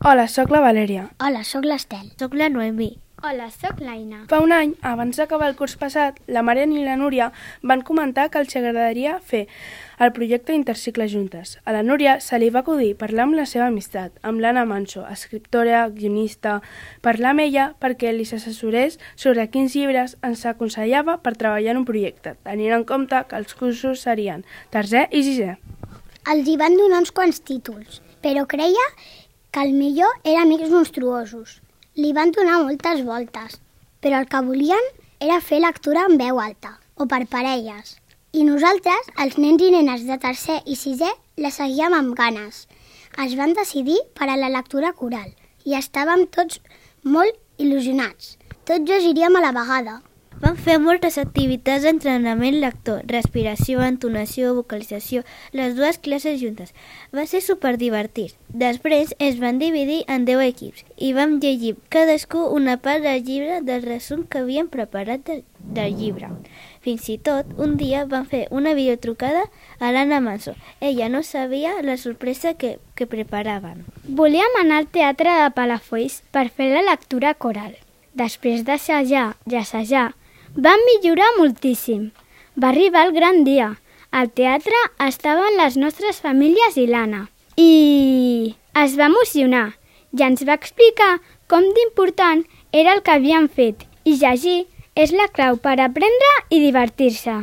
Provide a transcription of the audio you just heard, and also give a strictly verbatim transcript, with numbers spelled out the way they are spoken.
Hola, sóc la Valèria. Hola, sóc l'Estel. Soc la Noemí. Hola, sóc l'Aina. Fa un any, abans d'acabar el curs passat, la Marian i la Núria van comentar que els agradaria fer el projecte Intercicle juntes. A la Núria se li va acudir parlar amb la seva amistat, amb l'Anna Manso, escriptora, guionista, parlar amb ella perquè li s'assessorés sobre quins llibres ens aconsellava per treballar en un projecte, tenint en compte que els cursos serien tercer i sisè. Els hi van donar uns quants títols, però creia que el millor era Amics monstruosos. Li van donar moltes voltes, però el que volien era fer lectura en veu alta, o per parelles. I nosaltres, els nens i nenes de tercer i sisè, la seguíem amb ganes. Es van decidir per a la lectura coral i estàvem tots molt il·lusionats. Tots llegiríem a la vegada. Vam fer moltes activitats d'entrenament lector, respiració, entonació, vocalització, les dues classes juntes. Va ser superdivertit. Després es van dividir en deu equips i vam llegir cadascú una part del llibre del resum que havíem preparat del, del llibre. Fins i tot, un dia vam fer una videotrucada a l'Anna Manso. Ella no sabia la sorpresa que, que preparaven. Volíem anar al teatre de Palafolls per fer la lectura coral. Després d'assajar i assajar, vam millorar moltíssim. Va arribar el gran dia. Al teatre estaven les nostres famílies i l'Anna. I es va emocionar i ens va explicar com d'important era el que havíem fet. I llegir és la clau per aprendre i divertir-se.